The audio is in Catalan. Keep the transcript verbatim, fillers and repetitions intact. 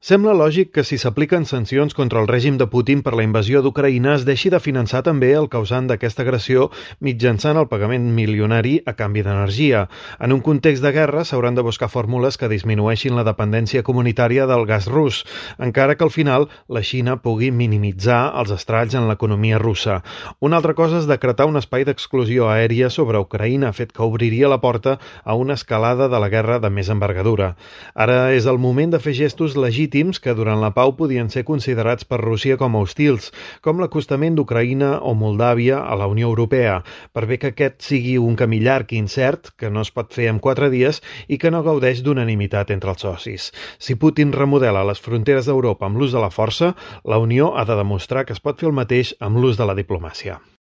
Sembla lògic que si s'apliquen sancions contra el règim de Putin per la invasió d'Ucraïna es deixi de finançar també el causant d'aquesta agressió mitjançant el pagament milionari a canvi d'energia. En un context de guerra s'hauran de buscar fórmules que disminueixin la dependència comunitària del gas rus, encara que al final la Xina pugui minimitzar els estralls en l'economia russa. Una altra cosa és decretar un espai d'exclusió aèria sobre Ucraïna, fet que obriria la porta a una escalada de la guerra de més envergadura. Ara és el moment de fer gestos legítims que durant la pau podien ser considerats per Rússia com a hostils, com l'acostament d'Ucraïna o Moldàvia a la Unió Europea, per bé que aquest sigui un camí llarg i incert, que no es pot fer en quatre dies i que no gaudeix d'unanimitat entre els socis. Si Putin remodela les fronteres d'Europa amb l'ús de la força, la Unió ha de demostrar que es pot fer el mateix amb l'ús de la diplomàcia.